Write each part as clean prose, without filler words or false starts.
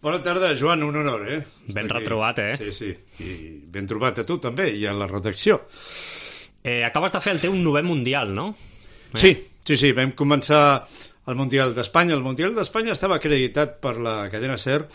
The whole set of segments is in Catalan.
Bona tarda, Joan, un honor, Ben retrobat, Sí, i ben trobat a tu també, i a la redacció. Acabes de fer el teu 9è Mundial, no? Sí, vam començar el Mundial d'Espanya. El Mundial d'Espanya estava acreditat per la cadena SER,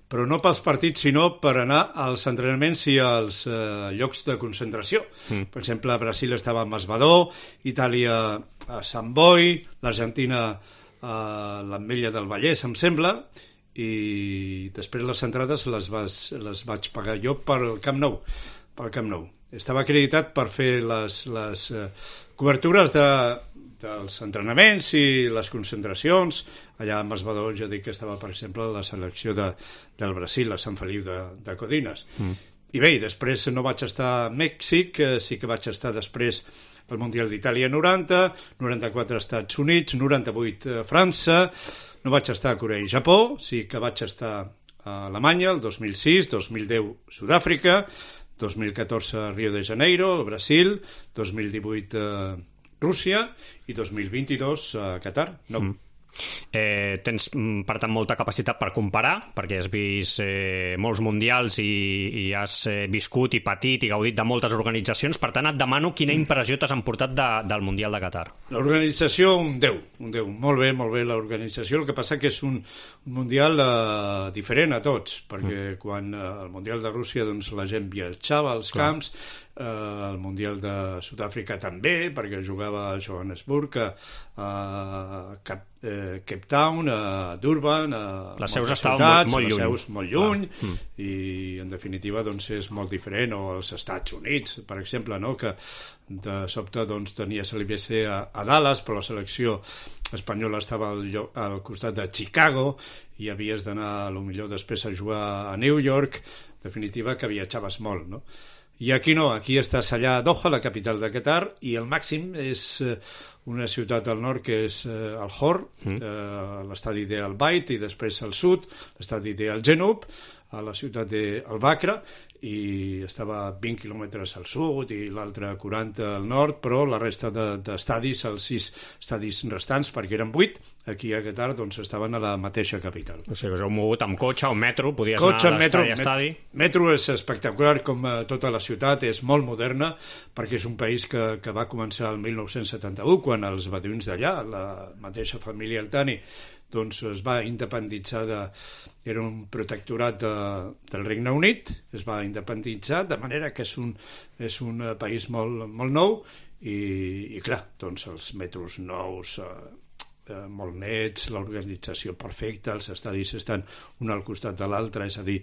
però no pels partits, sinó per anar als entrenaments i als llocs de concentració. Per exemple, Brasil estava a Masbadó, Itàlia a Sant Boi, l'Argentina a l'Ametlla del Vallès, em sembla, i després les entrades les vaig pagar jo pel Camp Nou. Estava acreditat per fer les cobertures dels entrenaments i les concentracions. Allà a Masbadó jo dic que estava, per exemple, la selecció del Brasil, a Sant Feliu de Codines. I bé, després no vaig estar a Mèxic, sí que vaig estar després al Mundial d'Itàlia 90, 94 als Estats Units, 98 a França, no vaig estar a Corea i Japó, sí que vaig estar a Alemanya el 2006, 2010 Sud-àfrica, 2014 Rio de Janeiro, el Brasil, 2018 Rússia i 2022 a Qatar. Tens, per tant, molta capacitat per comparar, perquè has vist molts mundials i has viscut i patit i gaudit de moltes organitzacions. Per tant, et demano quina impressió t'has emportat del Mundial de Qatar. L'organització, un 10. Molt bé l'organització. El que passa que és un mundial diferent a tots, perquè quan el Mundial de Rússia doncs, la gent viatjava als camps, el Mundial de Sud-àfrica també, perquè jugava a Johannesburg, a Cape Town, a Durban, a les seus estaven molt lluny, i en definitiva doncs, és molt diferent. O als Estats Units, per exemple, no? Que de sobte doncs, tenies l'IBC a Dallas, però la selecció espanyola estava al costat de Chicago i havies d'anar potser després a jugar a New York. En definitiva que viatjaves molt, no? I aquí no, aquí estàs allà a Doha, la capital de Qatar, i el màxim és una ciutat al nord que és el Hor, l'estadi d'Al Bayt, i després al sud, l'estadi d'Al Genoub, a la ciutat d'Al Bakra, i estava 20 quilòmetres al sud i l'altre 40 al nord, però la resta d'estadis, els 6 estadis restants, perquè eren 8, aquí a Qatar doncs estaven a la mateixa capital. O sigui, us heu mogut amb cotxe o metro, podies anar d'estadi a estadi. Metro és espectacular, com tota la ciutat, és molt moderna, perquè és un país que va començar el 1971, quan els beduïns d'allà, la mateixa família Al-Thani, doncs es va independitzar era un protectorat del Regne Unit, es va independitzar, de manera que és un país molt nou, i clar, doncs els metros nous, molt nets, l'organització perfecta, els estadis estan un al costat de l'altre, és a dir,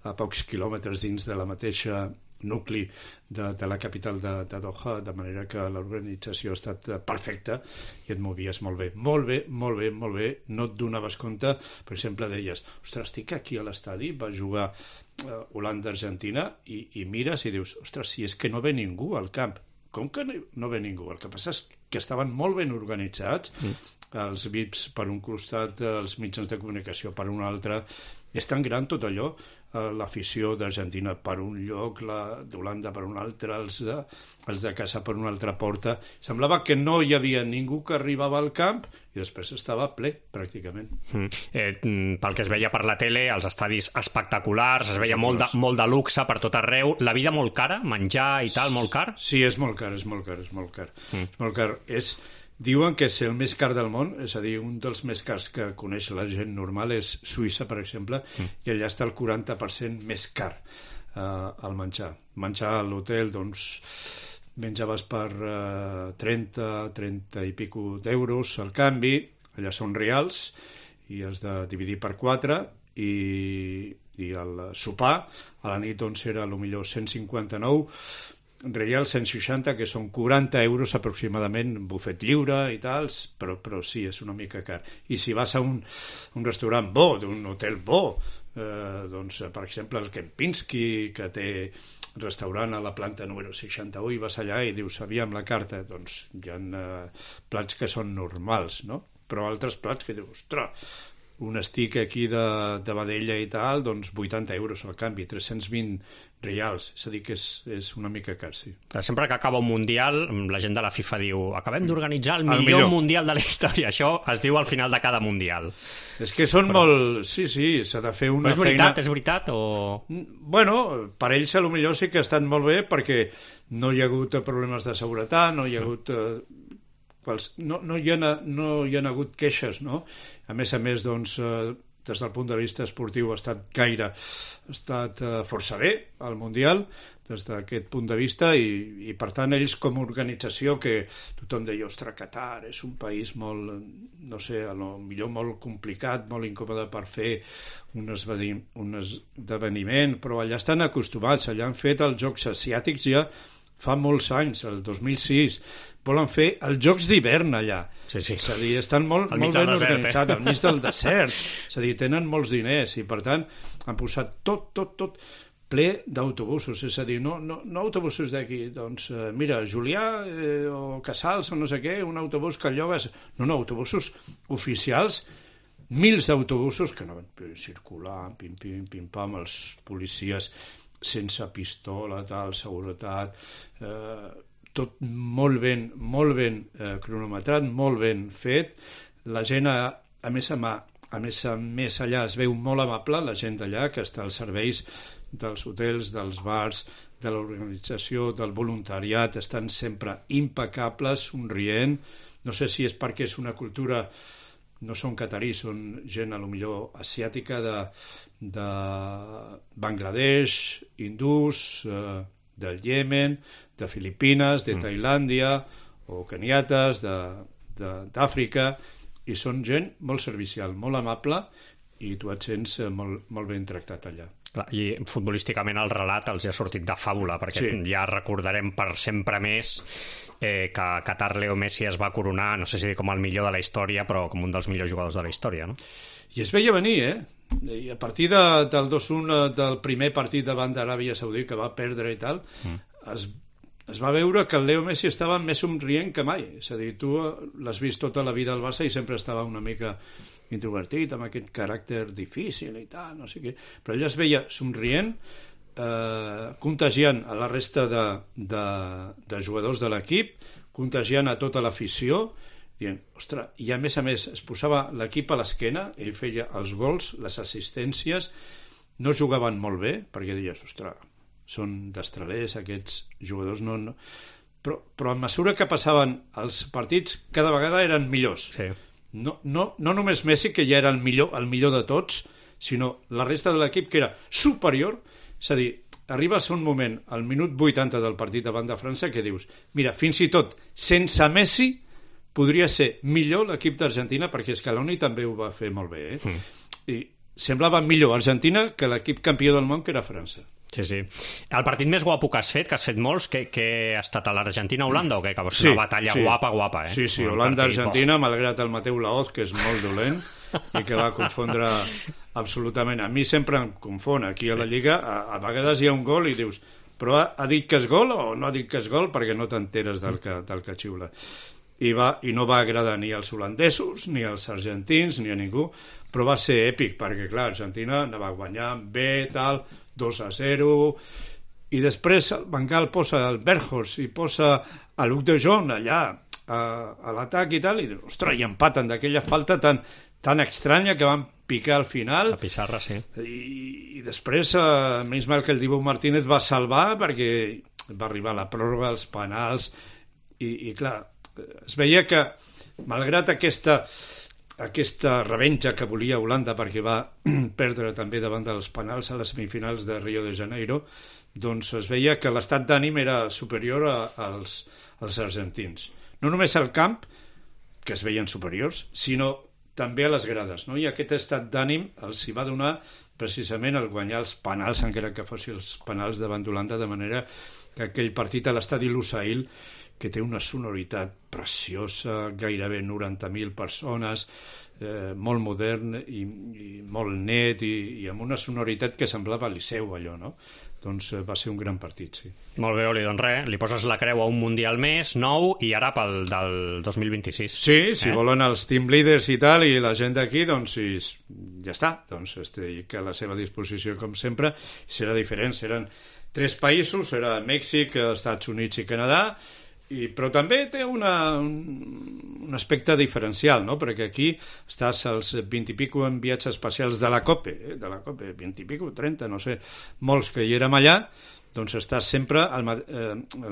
a pocs quilòmetres dins de la mateixa nucli de la capital de Doha, de manera que l'organització ha estat perfecta i et movies molt bé, no et donaves compte. Per exemple, deies, ostres, estic aquí a l'estadi, va jugar Holanda-Argentina, i mires i dius, ostres, si és que no ve ningú al camp. Com que no ve ningú? El que passa és que estaven molt ben organitzats, els VIPs per un costat, els mitjans de comunicació per un altre. És tan gran tot allò, l'afició d'Argentina per un lloc, la d'Holanda per un altre, els de casa per una altra porta. Semblava que no hi havia ningú que arribava al camp i després estava ple, pràcticament. Pel que es veia per la tele, els estadis espectaculars, es veia molt de luxe per tot arreu. La vida molt cara? Menjar i tal, molt car? Sí, és molt car. Diuen que és el més car del món, és a dir, un dels més cars que coneix la gent normal és Suïssa, per exemple, i allà està el 40% més car al menjar. Menjar a l'hotel, doncs, menjaves per 30 i pico d'euros al canvi, allà són reals, i has de dividir per 4, i el sopar a la nit doncs era potser 159 real, 160, que són 40 euros aproximadament, bufet lliure i tals, però sí, és una mica car. I si vas a un restaurant bo, d'un hotel bo, doncs, per exemple, el Kempinski, que té restaurant a la planta número 61, i vas allà i dius, aviam la carta, doncs hi ha plats que són normals, no? Però altres plats que dius, ostres, un stick aquí de vedella i tal, doncs 80 euros al canvi, 320 reals, és a dir que és una mica car, sí. Sempre que acaba un Mundial, la gent de la FIFA diu acabem d'organitzar el millor Mundial de la història. Això es diu al final de cada Mundial. És que són molt... Sí, s'ha de fer una feina... És veritat o...? Bueno, per ells potser sí que ha estat molt bé perquè no hi ha hagut problemes de seguretat, no hi ha hagut... No hi ha hagut queixes, no? A més, doncs, des del punt de vista esportiu ha estat força bé el Mundial, des d'aquest punt de vista, i per tant ells com a organització, que tothom deia, ostres, Qatar és un país molt, no sé, potser molt complicat, molt incòmode per fer un esdeveniment, però allà estan acostumats, allà han fet els Jocs Asiàtics ja fa molts anys, el 2006, volen fer els Jocs d'hivern allà. Sí. És a dir, estan molt ben organitzats, al mig del desert. És a dir, tenen molts diners i, per tant, han posat tot ple d'autobusos. És a dir, no autobusos d'aquí. Doncs, mira, Julià o Casals o no sé què, un autobús que llogues... No, autobusos oficials, mils d'autobusos que no van circular, pim-pam, els policies sense pistola, tal, seguretat, tot molt ben cronometrat, molt ben fet. La gent, a més allà es veu molt amable, la gent d'allà, que està als serveis dels hotels, dels bars, de l'organització, del voluntariat, estan sempre impecables, somrient. No sé si és perquè és una cultura... No són catarís, són gent potser asiàtica de Bangladesh, hindús, del Iemen, de Filipines, de Tailàndia, o keniates, d'Àfrica, i són gent molt servicial, molt amable, i tu et sents molt ben tractat allà. Clar, i futbolísticament el relat els ha sortit de fàbula, perquè ja recordarem per sempre més que Qatar Leo Messi es va coronar, no sé si com el millor de la història, però com un dels millors jugadors de la història, no? I es veia venir, I a partir del 2-1 del primer partit davant d'Aràbia Saudita, que va perdre i tal, es va veure que el Leo Messi estava més somrient que mai. És a dir, tu l'has vist tota la vida al Barça i sempre estava una mica introvertit, amb aquest caràcter difícil i tal, no sé què. Però ell es veia somrient, contagiant a la resta de jugadors de l'equip, contagiant a tota l'afició, dient, ostres, i a més es posava l'equip a l'esquena, ell feia els gols, les assistències, no jugaven molt bé, perquè deies, ostres, són destralers aquests jugadors, no. Però a mesura que passaven els partits, cada vegada eren millors. Sí. No només Messi, que ja era el millor de tots, sinó la resta de l'equip, que era superior. És a dir, arribes a un moment, al minut 80 del partit davant de França, que dius, mira, fins i tot sense Messi podria ser millor l'equip d'Argentina, perquè Scaloni també ho va fer molt bé, I semblava millor Argentina que l'equip campió del món, que era França. Sí. El partit més guapo que has fet molts, que ha estat a l'Argentina-Holanda o què? Que va ser una batalla guapa, Sí, Holanda-Argentina, malgrat el Mateu Laoz, que és molt dolent i que va confondre absolutament. A mi sempre em confon. Aquí a la Lliga a vegades hi ha un gol i dius, però ha dit que és gol o no ha dit que és gol, perquè no t'enteres del que xiula. I no va agradar ni als holandesos, ni als argentins, ni a ningú, però va ser èpic, perquè clar, Argentina anava guanyant bé, tal, 2-0, i després el Van Gaal posa el Berghorst i posa a Luc de Jong allà a l'atac i tal, i dius, ostres, i empaten d'aquella falta tan estranya que van picar al final. La pissarra, sí. I després, menys mal que el Dibu Martínez va salvar, perquè va arribar la pròrroga, els penals, i clar, es veia que, malgrat aquesta revenja que volia Holanda, perquè va perdre també davant dels penals a les semifinals de Rio de Janeiro, doncs es veia que l'estat d'ànim era superior als argentins. No només al camp, que es veien superiors, sinó també a les grades, no? I aquest estat d'ànim els hi va donar precisament el guanyar els penals, encara que fossin els penals davant d'Holanda, de manera que aquell partit a l'estadi Lusail, que té una sonoritat preciosa, gairebé 90.000 persones, molt modern i molt net i amb una sonoritat que semblava Liceu, allò, no? Doncs va ser un gran partit, sí. Molt bé, Oli, doncs res, li poses la creu a un Mundial més, nou, i ara pel del 2026. Sí, si volen els team leaders i tal, i la gent d'aquí, doncs ja està. Doncs estic a la seva disposició, com sempre. Serà diferent, seran 3 països, serà Mèxic, Estats Units i Canadà, però també té un aspecte diferencial, no? Perquè aquí estàs als 20 i pico enviats especials de la COPE, 20 i pico, 30, no sé, molts que hi érem allà, doncs estàs sempre el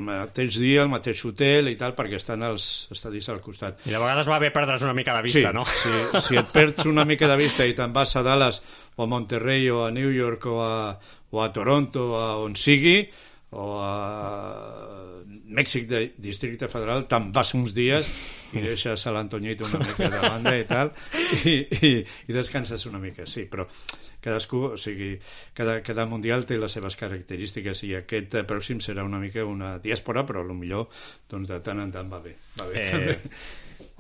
mateix dia, al mateix hotel i tal, perquè estan els estadis al costat. I de vegades va bé perdre's una mica de vista, sí, no? Sí, si et perds una mica de vista i te'n vas a Dallas o a Monterrey o a New York o a Toronto o a on sigui, o a Mèxic de Districte Federal, te'n vas uns dies i deixes a l'Antonyito una mica de banda i tal, i descanses una mica, sí, però cadascú, o sigui, cada mundial té les seves característiques i aquest pròxim serà una mica una diàspora, però potser doncs, de tant en tant va bé.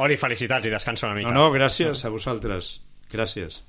Oli, felicitats i descansa una mica. No, gràcies a vosaltres. Gràcies.